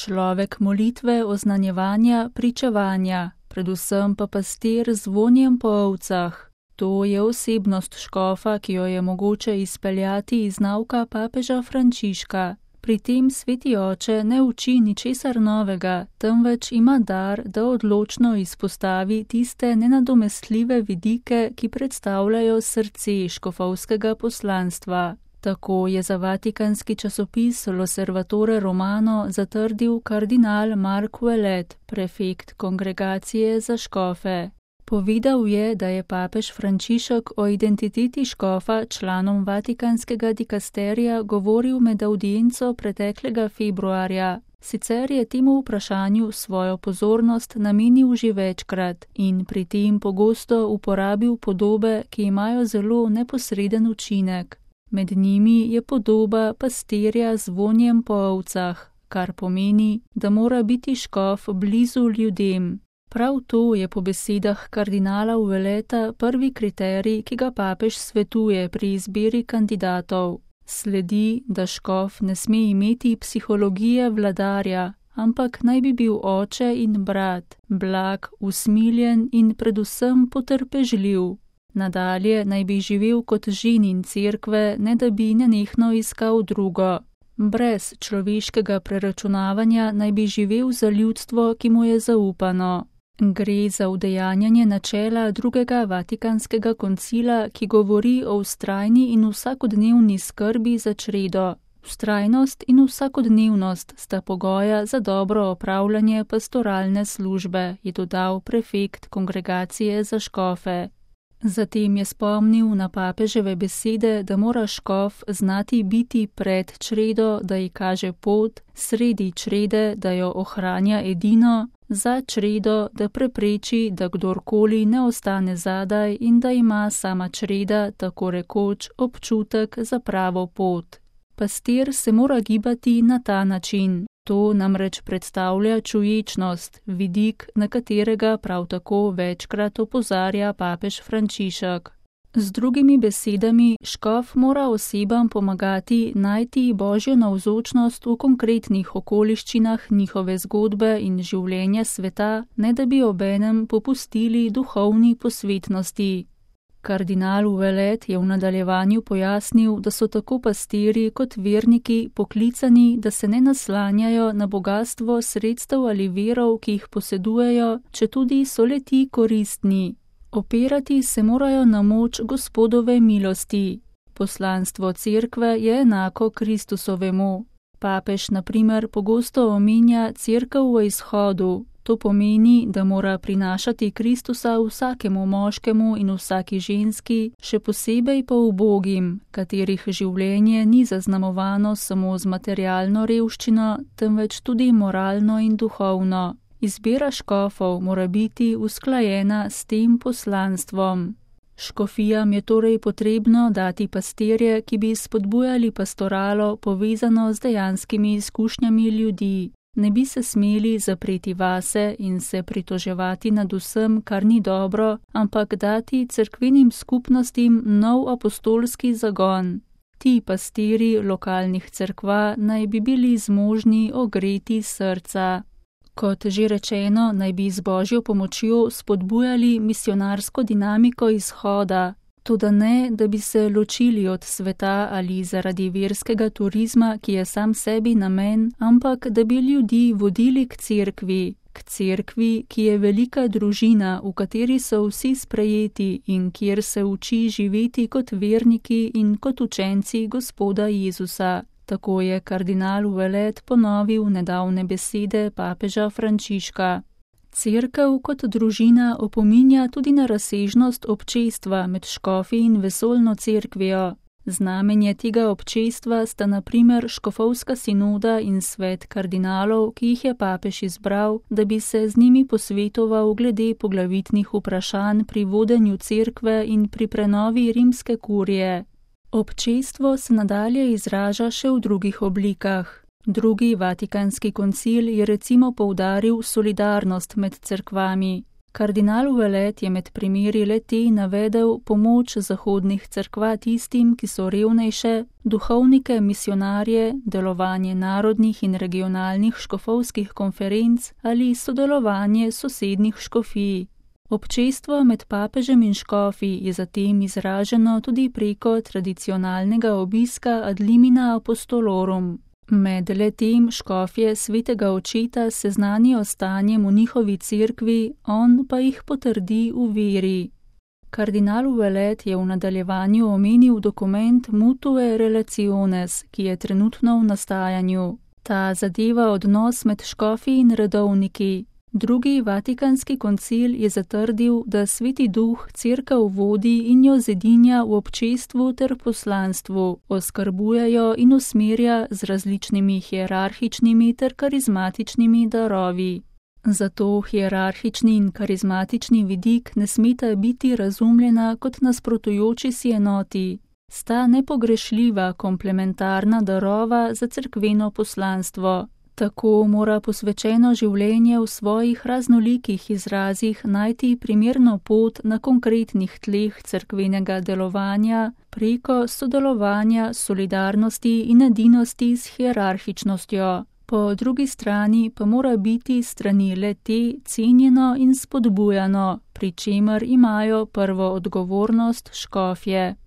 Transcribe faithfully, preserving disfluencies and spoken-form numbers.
človek molitve, oznanjevanja, pričevanja, predvsem pa pastir z zvonjem po ovcah. To je osebnost škofa, ki jo je mogoče izpeljati iz nauka papeža Frančiška. Pri tem sveti oče ne uči ničesar novega, temveč ima dar, da odločno izpostavi tiste nenadomestljive vidike, ki predstavljajo srce škofovskega poslanstva. Tako je za vatikanski časopis L'Osservatore Romano zatrdil kardinal Mark Ouellet, prefekt kongregacije za škofe. Povedal je, da je papež Frančišek o identiteti škofa članom vatikanskega dikasterija govoril med audienco preteklega februarja. Sicer je temu vprašanju svojo pozornost namenil že večkrat in pri tem pogosto uporabil podobe, ki imajo zelo neposreden učinek. Med njimi je podoba pastirja z vonjem po ovcah, kar pomeni, da mora biti škof blizu ljudem. Prav to je po besedah kardinala Ouelleta prvi kriterij, ki ga papež svetuje pri izbiri kandidatov. Sledi, da škof ne sme imeti psihologije vladarja, ampak naj bi bil oče in brat, blag, usmiljen in predvsem potrpežljiv. Nadalje naj bi živel kot ženin cerkve, ne da bi nenehno iskal drugo. Brez človeškega preračunavanja naj bi živel za ljudstvo, ki mu je zaupano. Gre za udejanjanje načela drugega vatikanskega koncila, ki govori o vztrajni in vsakodnevni skrbi za čredo. Vztrajnost in vsakodnevnost sta pogoja za dobro opravljanje pastoralne službe, je dodal prefekt kongregacije za škofe. Zatem je spomnil na papeževe besede, da mora škof znati biti pred čredo, da ji kaže pot, sredi črede, da jo ohranja edino, za čredo, da prepreči, da kdorkoli ne ostane zadaj in da ima sama čreda, tako rekoč, občutek za pravo pot. Pastir se mora gibati na ta način. To namreč predstavlja čuječnost, vidik, na katerega prav tako večkrat opozarja papež Frančišek. Z drugimi besedami, škof mora osebam pomagati najti božjo navzočnost v konkretnih okoliščinah njihove zgodbe in življenja sveta, ne da bi obenem popustili duhovni posvetnosti. Kardinal Ouellet je v nadaljevanju pojasnil, da so tako pastirji kot verniki poklicani, da se ne naslanjajo na bogastvo sredstev ali virov, ki jih posedujejo, četudi so le ti koristni. Opirati se morajo na moč Gospodove milosti. Poslanstvo cerkve je enako Kristusovemu. Papež, na primer, pogosto omenja cerkev v izhodu. To pomeni, da mora prinašati Kristusa vsakemu moškemu in vsaki ženski, še posebej pa ubogim, katerih življenje ni zaznamovano samo z materialno revščino, temveč tudi moralno in duhovno. Izbira škofov mora biti usklajena s tem poslanstvom. Škofijam je torej potrebno dati pastirje, ki bi spodbujali pastoralo povezano z dejanskimi izkušnjami ljudi. Ne bi se smeli zapreti vase in se pritoževati nad vsem, kar ni dobro, ampak dati cerkvenim skupnostim nov apostolski zagon. Ti pastiri lokalnih cerkva naj bi bili zmožni ogreti srca. Kot že rečeno, naj bi z božjo pomočjo spodbujali misionarsko dinamiko izhoda, toda ne, da bi se ločili od sveta ali zaradi verskega turizma, ki je sam sebi namen, ampak da bi ljudi vodili k cerkvi, k cerkvi, ki je velika družina, v kateri so vsi sprejeti in kjer se uči živeti kot verniki in kot učenci Gospoda Jezusa. Tako je kardinal Ouellet ponovil nedavne besede papeža Frančiška. Cerkev kot družina opominja tudi na razsežnost občestva med škofi in vesoljno cerkvijo. Znamenje tega občestva sta na primer škofovska sinoda in svet kardinalov, ki jih je papež izbral, da bi se z njimi posvetoval glede poglavitnih vprašanj pri vodenju cerkve in pri prenovi rimske kurije. Občestvo se nadalje izraža še v drugih oblikah. Drugi vatikanski koncil je recimo poudaril solidarnost med cerkvami. Kardinal Ouellet je med primeri le-te navedel pomoč zahodnih cerkva tistim, ki so revnejše, duhovnike, misionarje, delovanje narodnih in regionalnih škofovskih konferenc ali sodelovanje sosednjih škofij. Občestvo med papežem in škofi je zatem izraženo tudi preko tradicionalnega obiska ad limina apostolorum. Med le-tem škofje svetega očeta seznanijo stanjem v njihovi cerkvi, on pa jih potrdi v veri. Kardinal Ouellet je v nadaljevanju omenil dokument Mutue Relationes, ki je trenutno v nastajanju. Ta zadeva odnos med škofi in redovniki. Drugi vatikanski koncil je zatrdil, da Sveti Duh cerkev vodi in jo zedinja v občestvu ter poslanstvu, oskrbujejo in usmerja z različnimi hierarhičnimi ter karizmatičnimi darovi. Zato hierarhični in karizmatični vidik ne smeta biti razumljena kot nasprotujoči si enoti. Sta nepogrešljiva komplementarna darova za cerkveno poslanstvo. Tako mora posvečeno življenje v svojih raznolikih izrazih najti primerno pot na konkretnih tleh cerkvenega delovanja preko sodelovanja, solidarnosti in edinosti s hierarhičnostjo. Po drugi strani pa mora biti strani le-te cenjeno in spodbujano, pri čemer imajo prvo odgovornost škofje.